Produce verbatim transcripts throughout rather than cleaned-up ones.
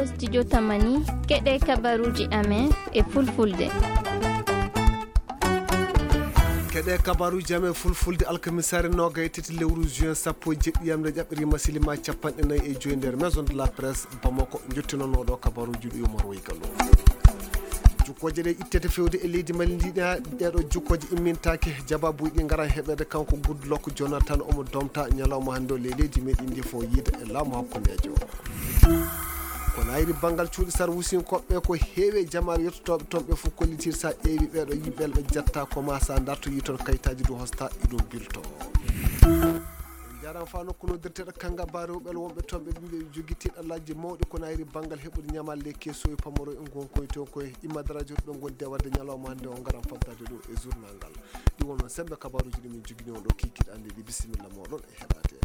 Studio Tamani, keɗe kabaruji amen e fulfulde. Keɗe kabaruji amen fulfulde alkamisaare noogay tati lewru juin sappo e jeɗɗi yamde ƴaɓɓirima silima capanɗe nayi e joyi nder Maison de la Presse Bamako, jottinonooɗo kabaruji ɗi Umar Woy Gallo. Jukkooje ɗe ittete fewde e leydi Mali ndi, ɗa-, ɗeɗo jukkooje immintaake, jabaabuji ɗi ngara heɓede kanko Goodluck Jonathan omo domta ñalawma hannde o ley leydi meɗen ndi fof yiida e laamu hakkundejo. Ko nayri banngal cuuɗi sarwusinkoɓe ko heewi e jamaare yettotooɓe toon ɓe fof kollitir sa ƴeewi ɓeɗo yimɓe ɓe jetta ko ma sa dartoyi toon kayitaji ɗo hosta ɗiɗo bilto. En njaaraama fa nokku noddirteɗo Kangaba rewɓe wonɓe toon ɓe ɓe jogi tiiɗallaaji mawɗi ko nayri banngal heɓude ñamaale keso e pamaro e ngonkoy to koye imma darajo ɗo ngonde wadde ñalawma hannde o ngaran faddade ɗo e journal ngal. Ɗi wonno sembe kabaruji ɗi min jogini on ɗo kikiɗe ande ɗi bisimilla moɗon e heɗade.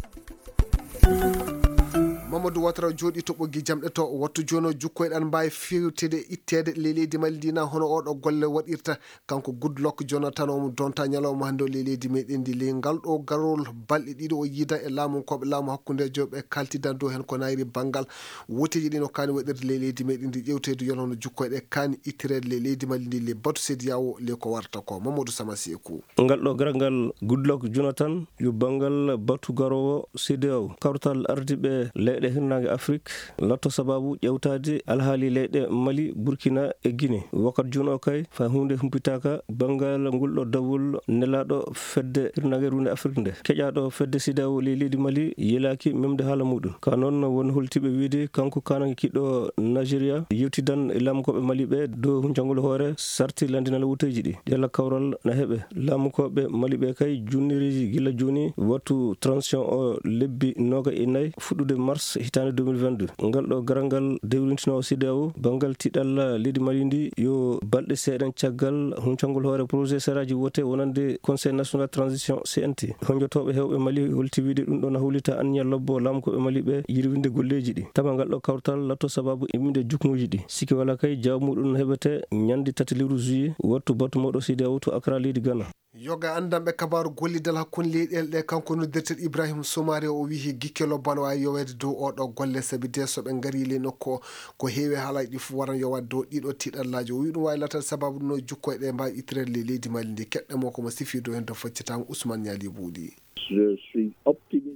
Mamadou Ouattara jooɗi to ɓoggi jamɗe to wattu jono jukkoyɗan mbawi fewtede ittede ley leydi Mali ndi na hono oɗo golle waɗirta. Kanko Goodluck Jonathan omo donta ñalawma hannde o ley leydi meɗen ndi ley ngal ɗo garol balɗe ɗiɗo o yiida e laamunkoɓe laamu hakkundejo ɓe kaltidan dow hen ko nayri banngal woteji ɗi no kaani waɗirde ley leydi meɗen ndi ƴewteede yolono jukkoyɗe kaani ittireede ley leydi Mali ndi ley batu sediyawo ley ko warata ko Mamadou Samasi e ku. Ngal ɗo garal ngal Goodluck Jonathan yo banngal batu garowo sediyawo kawtal ardiiɓe leyɗe hirnaange Afrik latto sababu ƴewtaade alhaali leyɗe Mali, Burkina e Guinée. Wakkati jooni o kay, fay huunde humpitaaka banngal ngol ɗo dawol nelaaɗo fedde hirnaange runde Afrik nde, keƴaaɗo fedde sediyawo ley leydi Mali yelaaki memde haala muɗum. Ka noon won holtiiɓe wiide kanko kaananke kiɗɗo Nigeria yewtidan e laamukoɓe Mali ɓe dow huncangol hoore sarti landinal woteeji ɗi. Ɗela kawral na heɓe. Laamukoɓe Mali ɓe kay junniriji gila jooni wattu transition o lebbi nooga e nayi fuɗɗude mars hitaande deux mille vingt-deux. Ngal ɗo garal ngal dewrintino sediyawo banngal tiɗalla leydi Mali ndi yo balɗe seeɗan caggal huncangol hoore projet seraaji wote wonande Conseil National Transition, C N T. Honjotoɓe hewɓe Mali holti wiide ɗum ɗo na hollita anniya lobbo laamukoɓe Mali ɓe yirwinde golleji ɗi. Tawa ngal ɗo kawtal latto sababu imminde jukmoji ɗi. Sikki wala kay jaabu muɗum no heɓete ñande tati lewru juillet wattu batu mawɗo sediyawo to Accra leydi Ghana. Yoga anndanɓe kabaaru gollidal hakkunde leyɗeele ɗe, kanko noddirteɗo Ibrahim Soumaré, o wiyi gikke lobbo ana waawi yoweede dow oo ɗoo golle, sabi de so ɓe ngarii ley nokku o, ko heewi haalaaji ɗi fof waran yowaade dow ɗii ɗoo tiiɗallaaji. O wiyi ɗum waawi laataade sabaabu ɗum no jukkoyɗe mbaawi ittireede ley leydi Mali ndi. Keɗɗen mo ko mo sifii dow heen to faccitaango Ousmane Ñaali Buuɗi.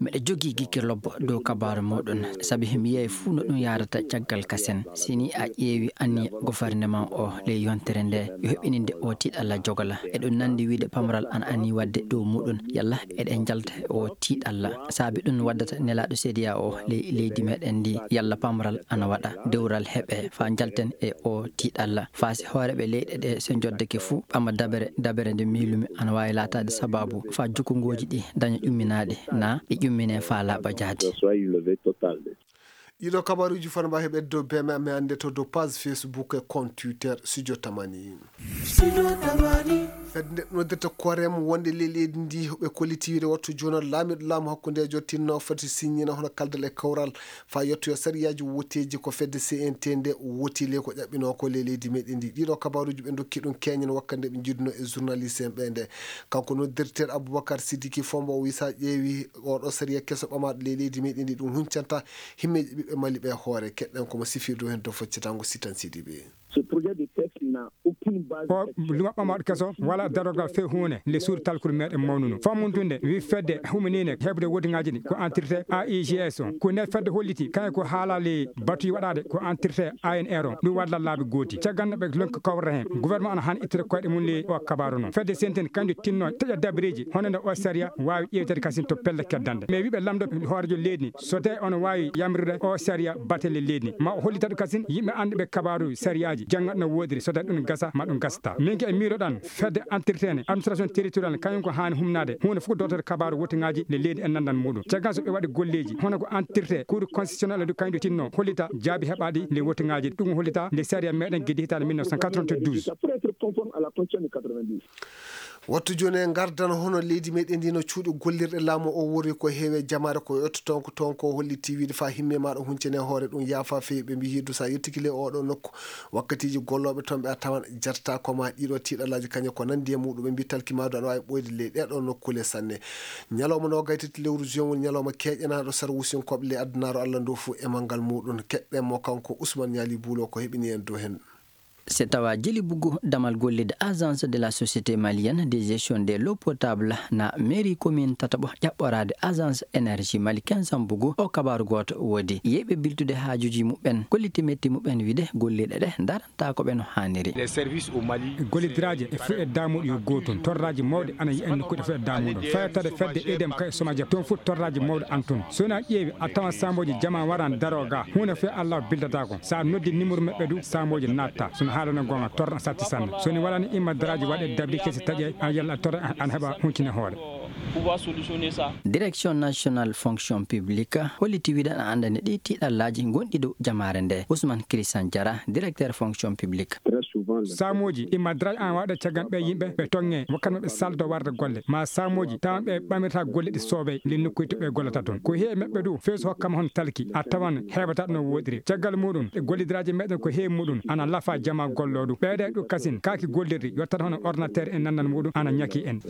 Miɗo jogii gikke lobbo dow kabaaru muuɗum, sabi mi yiyay fuu no ɗum yahrata caggal kasen. Si ni a ƴeewi anniya gofarneman o ley yontere nde, yo heɓininde o tiiɗalla jogala. Eɗum nanndi wiide pamaral ana annii waɗde dow muuɗum. Yalla eɗen njalta e o tiiɗalla. Saabi ɗum waddata nelaaɗo C D A O ley leydi meɗen ndi, yalla pamaral ana waɗa, dewral heɓe, faa njalten e o tiiɗalla. Faa si hooreeɓe leyɗe ɗe so njoddake fuu, ɓama dabere, dabere nde miilumi ana waawi laataade sabaabu faa jukungooji ɗi daña ƴumminaaɗi, naa ɗi ƴummine faa laaɓa jaati. Ɗiɗo kabaruuji fana mbawi heɓede dow B M M e annde to dow page Facebook e compte Twitter Studio Tamani. Fedde nde noddirta Korem wonde ley leydi ndi, ɓe kolliti wiide wattu jooni o laamiiɗo laamu hakkundeejo tinno foti signina hono kaldal e kawral faa yettoyo sariyaaji woteeji ko fedde C N T nde woti ley ko ƴaɓɓinoo ko ley leydi meɗen ndi. Ɗiɗo kabaruuji ɓe ndokki ɗum keñen wakkati nde ɓe njiiduno e journaliste en ɓe nde. Kanko noddirteeɗo Aboubacar Sidiki Fombo o wiyi sa ƴeewi oɗo sariya keso ɓamaaɗo ley leydi meɗen ndi ɗum huncanta himmeeji ɓiɓɓe Mali ɓe hoore. Keɗɗen ko mo sifirdu heen to foccatango Sitan Sidibe. Ce projet de texte n'a aucune base. O luma ɓamaaɗo keso wala darogal few huunde nde suudu talkuru meɗen mawnuno. Fammuntunde wi fedde huminine heɓde wotingaaji ɗi ko entité A I G S o. Ko nde fedde holliti kañum ko haalali batuji waɗaade ko entité A N R o. Ɗum waɗa laabi gooti. Caggal no ɓe lonki kawrata heen. Gouvernement ana han ittude koyɗe mum ley o kabaru noon. Fedde senten kanjum tinno taƴa dabareeji hono nde o sariya waawi ƴeewtede kasin to pelle keddande. Mais wiɓe lamdo hoorejo leydi ni, so tawi ono waawi yamrude o sariya batelle leydi ni, ma o hollita ɗum kasin yimɓe annduɓe kabaaru sariyaaji, jannga no woodiri, so tawi ɗum gasa, ma ɗum gasata. Min ke e miiloɗan, fedde entretene, administration territorial, kañum ko haani humnaade, huunde fof ko dotorde kabaaru wotingaaji le leydi e nandan muɗum. Caggal so ɓe waɗi golleeji, hono ko entretien, cour constitutionnel du kañum tinno, hollita jaabi heɓaaɗi le wotingaaji, ɗum hollita nde sariya meɗen geddi hitaande mille neuf cent quatre-vingt-douze. Pour être conforme à la constitution de quatre-vingt-douze. Wattu jooni en ngardan hono leydi meɗen ndi no cuuɗi gollirɗe laamu o wori ko heewe jamaare ko yotto toon ko toon ko holli tiiwiide faa himme maaɗa huncene hoore ɗum yaafa feewi ɓe mbiyi du sa yettiki le oɗo nokku wakkatiiji gollooɓe toon ɓe a tawan jarta ko ma ɗiɗo tiiɗalaaji kañe ko nanndi e muɗum ɓe mbi talki maadu aɗa waawi ɓooyde ley ɗeɗo nokkule sanne. Ñalawma no gaytiti lewru juin woni ñalawma keeƴanaaɗo sara wusinkooɓe ley addunaaro Allah ndu fuu e manngal muɗum keɗɗen mo kanko Ousmane Ñaali Buulo ko heɓini en dow heen. Se tawa jeli bugu damal gollide agence de la société malienne de gestion de l'eau potable na mairie commune tataɓo ƴaɓɓoraade agence énergie mali quinze bugu o kabaru gooto woodi yeɓe biltude haajuji muɓɓen kolliti metti muɓɓen wiide golliɗe ɗe daranta ko ɓe no haaniri. Gollidiraaji e fuɗe damuɗo yo gootum torraaji mawɗi ana yiyen nokkude fuɗe damuɗo fayatade fedde edem kay soma jab toon fof torraaji mawɗo an toon so wona ƴeewi a tawan samboji jama waran daro ga huunde fof Allah bildata ko sa noddi numéro maɓɓe du samboji natta sono haalana gonga torra satti sanne soni walani imma daraaji waɗe dabri kesi taƴe a yalla torra an heɓa huncine hoore. Direction nationale fonction publique holliti wiɗan a andani ɗi tiɗallaji gonɗi dow jamaare nde Ousmane Christian Diarra, directeur fonction publique. Samuuji imma daraja an waɗa caggal ɓe yimɓe ɓe tonge wakkati maɓɓe saldo warde golle ma samuuji tawan ɓe ɓamirta golle ɗi soobey nde nokkuy to ɓe gollata toon ko heewi maɓɓe du feesu hokkama hon talki a tawan heɓata no woɗiri caggal muɗum e gollidiraaji meɗen ko heewi muɗum ana lafa jama golloɗu ɓeeɗe ɗu kasin kaaki gollirɗi yottat hono ordinateur e nannal muɗum ana ñaki en.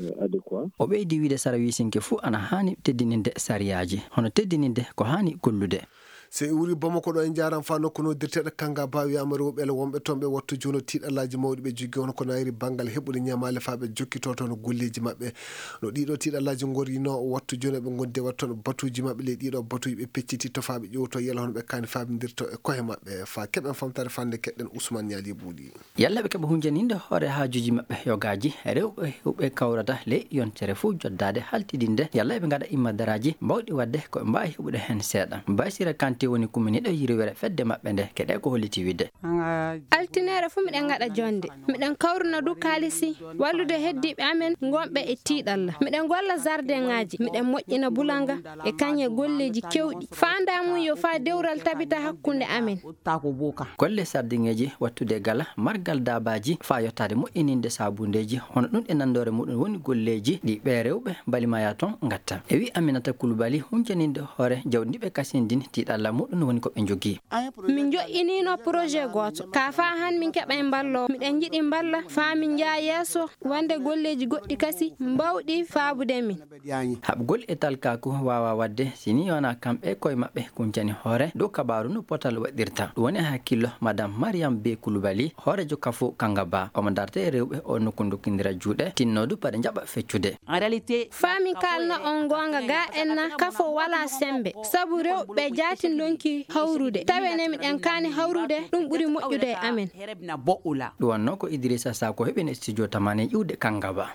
O ɓeydi wiide sara wiisinke fuu ana haani teddininde sariyaaji hono teddininde ko haani gollude. So en wuri Bamako ɗo en njaaran faa nokku noddirteeɗo Kangaba wiyaama rewɓe ele wonɓe toon ɓe wattu jooni tiiɗallaaji mawɗi ɓe jogii hono ko nayri banngal heɓude ñamaale faa ɓe jokkitoo toon golleeji maɓɓe no ɗiɗo tiiɗallaaji ngorino wattu jooni ɓe ngondi e waɗ toon batuuji maɓɓe ley ɗiɗo batuuji ɓe pecciti to faa ɓe ƴowto yela hono ɓe kaani faamindirto e kohe maɓɓe faa keɓen famtaare fannde keɗɗen Ousmane Ñaali Buuɗi. Yalla ɓe keɓa hunjaninde hoore haajuuji maɓɓe yogaaji rewɓe huɓe kawrata ley yontere fof joddaade haltidinde yalla ɓe ngaɗa immadaraaji mbawɗi waɗde ko ɓe mbaawi heɓude heen seeɗa. Basira Kanté woni kuminiiɗo yirwere fedde maɓɓe nde keɗe ko holliti wiɗde. Altineere fof miɗen ngaɗa jonnde miɗen kawruna du kaalisi wallude heddiiɓe amen ngonɓe e tiiɗalla miɗen golla jardin ŋaaji miɗen moƴƴina bulanga e kañe golleeji kewɗi faandaa mum yo faa dewral tabita hakkunde amen. Golle sardiŋeeji wattude gala margal daabaaji faa yottaade moƴƴininde saabundeeji hono ɗum e nanndoore muɗum woni golleeji ɗi ɓee rewɓe mbalimaya toon ngatta e wi Aminata Kulubali hunjaninde hoore jawdi ndi ɓe kasindin tiiɗalla muɗum woni ko ɓe njogii. Min njoƴƴiniino projet gooto ka faa han min keɓa e mballoowo miɗen njiɗi mballa faa min njaha yeeso wonde golleeji goɗɗi kasi mbawɗi faabude min. Haɓgol e talkaaku waawaa waɗde si nii wonaa kamɓe e koye maɓɓe kuncani hoore dow kabaaru no potal waɗirta. Ɗum woni e hakkillo Madame Mariam Bey Coulibaly, hooreejo Kafo Kangaba. Omo darta e rewɓe oo nokku ndokkindira juuɗe, tinnoodu paɗe njaɓa feccude. Faa mi kaalna on goonga, ga en na Kafo walaa semmbe, sabu rewɓe jaatin ndonki hawrude. Tawi enen miɗen kaani hawrude, ɗum ɓuri moƴƴude e amen. Ɗum wonnoo ko Idrissa Sako heɓino e studio Tamani iwde Kangaba.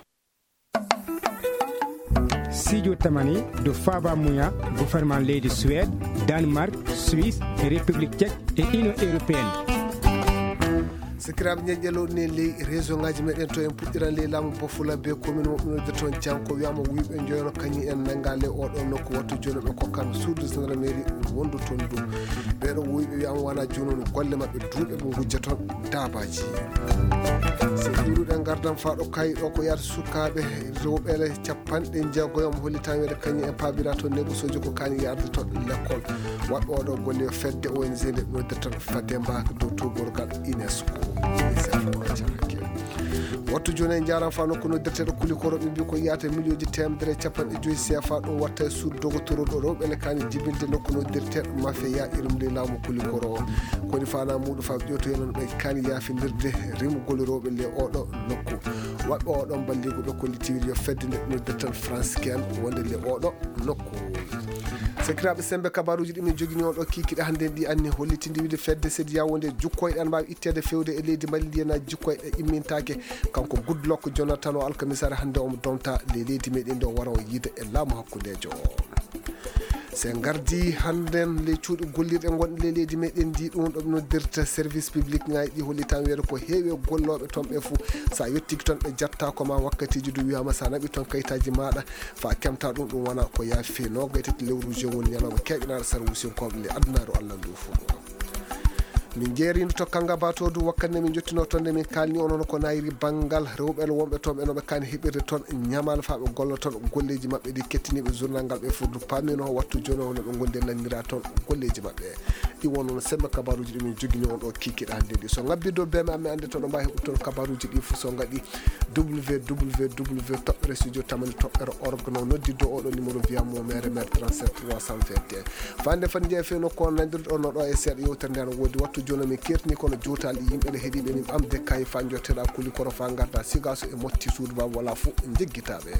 Sijo tamani do faaba muya gouvernement leydi Suède, Danemark, Suisse e République Tchèque e Union Européenne. Sakiraaɓe ñeñƴelooɗo ne ley réseau ngaji meɗen to en puɗɗiran ley laamu bofula be commune moɓɓinode toon jam ko wiyama wuyɓe joyono kañum en nanga ley oɗo nokku wattu jooni ɓe kokkan suudu gendarmerie wondu toon du ɓeɗo wuyɓe wiyama wona jooni on golle maɓɓe duuɓe ɓe gujja toon dabaji. So iwruɗen gardan faɗo kayi ɗo ko yahata sukaaɓe rewɓe ele capanɗe jeego e omo holli tan wiyde kañum en paabira toon nebosoji ko kaani yarde toon lekkol. Waɗɓe oɗo golle yo fedde O N G nde noddirta fadde mbaka dow togorgal UNESCO. Wattu jooni en njaran fa nokku noddirteɗo kulikoro ɓe mbi ko yiyata miliyonji temedere e capanɗe joyi C F A ɗum watta e suudu dogotoro ɗo rewɓe ne kaani jibinde nokku noddirteɗo mafeya irum ley laamu kulikoro o. Koni fana muɗum fa ƴewtoye noon ɓe kaani yaafindirde rimugol rewɓe le oɗo nokku. Waɗɓe oɗo mballigu ɓe kollitiwiri yo fedde nde noddirten France ken wonde le oɗo nokku. Sakiraaɓe sembe kabaruuji ɗi min jogini on ɗo kiikiɗe hannde ɗi anni hollitindi wiide fedde sediya wonde jukkoyɗe ana mbaawi itteede fewde e leydi Mali ndiyana jukkoyɗe immintaake. Kanko Goodluck Jonathan o alkamisare hannde omo domta ley leydi meɗen nde o wara o yiida e laamu hakkundeejo o. Se ngardi hannden ley cuuɗi gollirɗe gonɗe ley leydi meɗen ndi ɗum ɗo ɓe noddirta service public ngaji ɗi hollitan wiyata ko heewi e gollooɓe toon ɓe fof sa yettiki toon ɓe jatta ko ma wakkatiji du wiyama sa naɓi toon kayitaji maɗa fa kemta ɗum ɗum wona ko yaafi fewi nogay tati lewru juin woni ñalawma keɓinaɗo sara wusinkoɓe nde addunaru Allah ndu fof. Min jeerino to Kanga Batodou, wakkati nde min njottinoo toon, nde min kaalni onon ko nayri banngal rewɓe wonɓe toon, ɓe no ɓe kaani heɓirde toon ñamaale faa ɓe golla toon golleeji maɓɓe ɗi kettiniiɓe journal ngal ɓe furdu paamino. Wattu jooni o no ɓe ngondi e lanndiraa toon golleeji maɓɓe. Ɗi won noon sembe kabaaruuji ɗi min njogini on ɗo kiikiiɗe hannde ɗi. So ngabbii dow beeme am, mi annde toon ɗo mbaawi heɓude toon kabaaruuji ɗi fof so ngaɗi w w w toɓɓere studio tamani toɓɓere org, no nodditde oɗo numéro via mo mere mere trente-sept trois cent vingt et un. Fande fande jeeya fewno ko nandirɗo no ɗo e seeɗa yewtere nde no woodi wattu jooni min kertini kono jotaali yimɓe ne heɗiɓe min ɓamde kay fa jotteɗa kuli kono fa garda sigaso e motti suudu ba wala fof jeggitaɓe.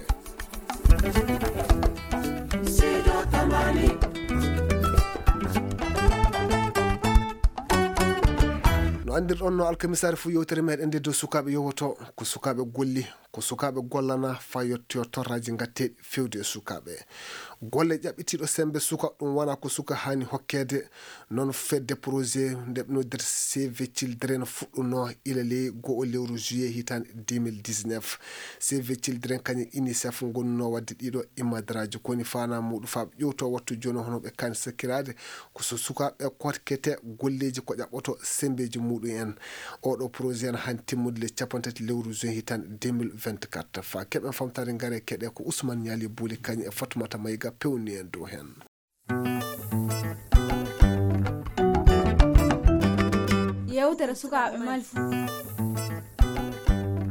No andirɗon no alkamisaare fof yewtere meɗen nde dow sukaɓe yowoto ko sukaɓe golli. Ko sukaaɓe gollana faa yettoyoo torraaji ngatteeɗi feewde e sukaaɓe. Golle ƴaɓɓitiiɗo semmbe suka, ɗum wonaa ko suka haani hokkeede. Noon fedde projet nde ɓe noddirta Save Children fuɗɗunoo ila ley go'o lewru juillet hitaande deux mille dix-neuf. Save Children kañum UNICEF ngonnunoo waɗde ɗiɗo immadaraaji ko woni faanaa muuɗum faa ɓe ƴeewtoo wattu jooni hono ɓe kaani sakkiraade. Ko so sukaaɓe kotkete golleeji ko ƴaɓɓoto semmbeeji muuɗum en. Oɗo projet ene haani timmude le capanɗe tati lewru juin hitaande deux mille vingt-quatre. Faa keɓen famtaade ngare keɗe ko Ousmane Niali Bouli kañum e Fatoumata Maïga pewni en dow heen. Yewtere sukaaɓe Mali.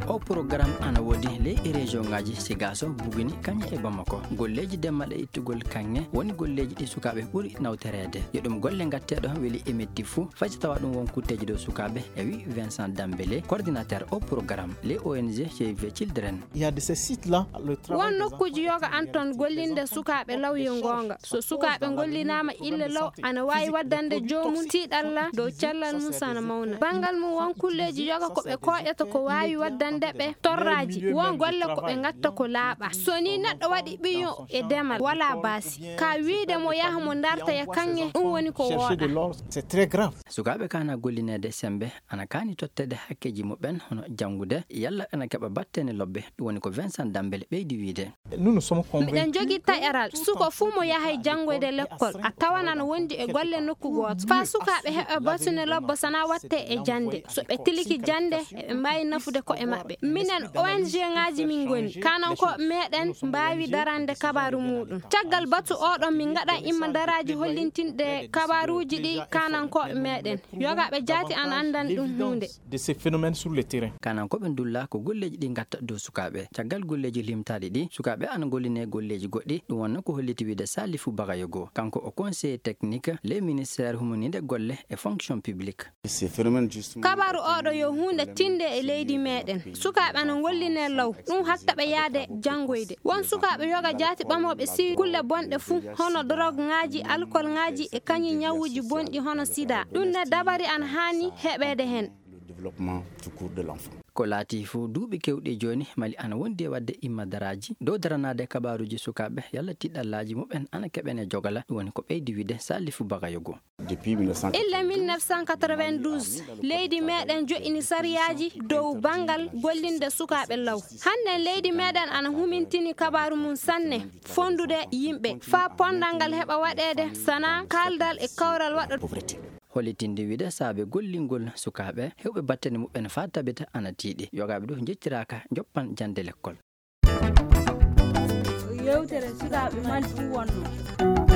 O programme ana woodi ley e région ngaji Sigaso, Buguni, kañum e Bamako. Golleeji demma ɗe ittugol kaŋŋe woni golleeji ɗi sukaaɓe ɓuri nawtoreede. Yo ɗum golle ngatteeɗo weli e metti fuu, fay so tawa ɗum won kutteeji dow sukaaɓe, e wi Vincent Dambélé, coordinateur o programme ley O N G Save Children. Il y a de ces sites-là, le travail des enfants est très important. Won nokkuuji yoga an toon gollinde sukaaɓe law yo goonga. So sukaaɓe ngollinaama ille law, ana waawi waddande joomum tiiɗalla dow cellal mum sana mawna. Banngal mum, won kulleeji yoga ko ɓe kooƴata ko waawi waddande ɓe torraaji. Won golle ko ɓe ngatta ko laaɓa. So ni neɗɗo waɗi ɓiyo e demal, wala baasi. Ka wiide mo yaha mo darta e kaŋŋe, ɗum woni ko wooɗa. C'est très grave. Sukaaɓe kaana gollineede semmbe, ana kaani totteede hakkeeji muɓɓen, hono janngude, yalla ana keɓa battane lobbe, ɗum woni ko Vincent Dambélé ɓeydi wiide. Miɗen jogii taƴaral, suko fuu mo yahay janngoyde lekkol, a tawan ana wondi e golle nokku gooto. Faa sukaaɓe heɓa batune lobbo sana watte e jannde. So ɓe tiliki jannde, eɓe mbaawi nafude ko'e maɓɓe. Minen O N G ngaaji min ngoni, kanankooɓe meɗen mbaawi darande kabaaru muuɗum. Caggal batu oɗon min ngaɗan immadaraaji hollintinɗe kabaaruuji ɗi kanankooɓe meɗen. Yogaaɓe jaati ana anndan ɗum huunde. De ces phénomènes sur le terrain. Kanankooɓe ndulla ko golleeji ɗi ngatta dow sukaaɓe. Caggal golleeji limtaaɗi ɗi, sukaaɓe ana golline golleeji goɗɗi. Ɗum wonno ko holliti wiide Salifou Bagayogo. Kanko o conseiller technique ley ministère humaniinde golle e fonction publique. Ces phénomènes, justement, kabaaru oɗo yo huunde tinde e leydi meɗen. Sukaaɓe ana ngolline law. Ɗum hatta ɓe yaade janngoyde. Won sukaaɓe yoga jaati ɓamooɓe si kulle bonɗe fuu, hono drogue ngaaji, alcool ngaaji e kañum ñawuuji bonɗi hono sida. Ɗum ne dabari ana haani heɓeede heen. Le développement tout court de l'enfant. Ko laati fof duuɓi keewɗi jooni, Mali ana wondi e waɗde immadaraaji dow daranaade kabaaruuji sukaaɓe, yalla tiɗɗallaaji muɓɓen ana keɓene jogala, ɗum woni ko ɓeydi wiide Salifou Bagayogo. Depuis mille neuf cent quatre-vingt-douze. Ille mille neuf cent quatre-vingt-douze, leydi meɗen joɗɗini sariyaaji dow banngal gollinde sukaaɓe law. Hannden leydi meɗen ana humintini kabaaru mum sanne, fonndude yimɓe, faa ponndal ngal heɓa waɗeede, sana kaaldal e kawral waɗa. Pauvreté. Hollitinde wiide saabe gollingol sukaaɓe heewɓe battane muɓɓen faa tabita ana tiiɗi. Yogaaɓe ɗo njettiraaka njoppan jannde lekkol. Yewtere sukaaɓe Mali ɗum wonno.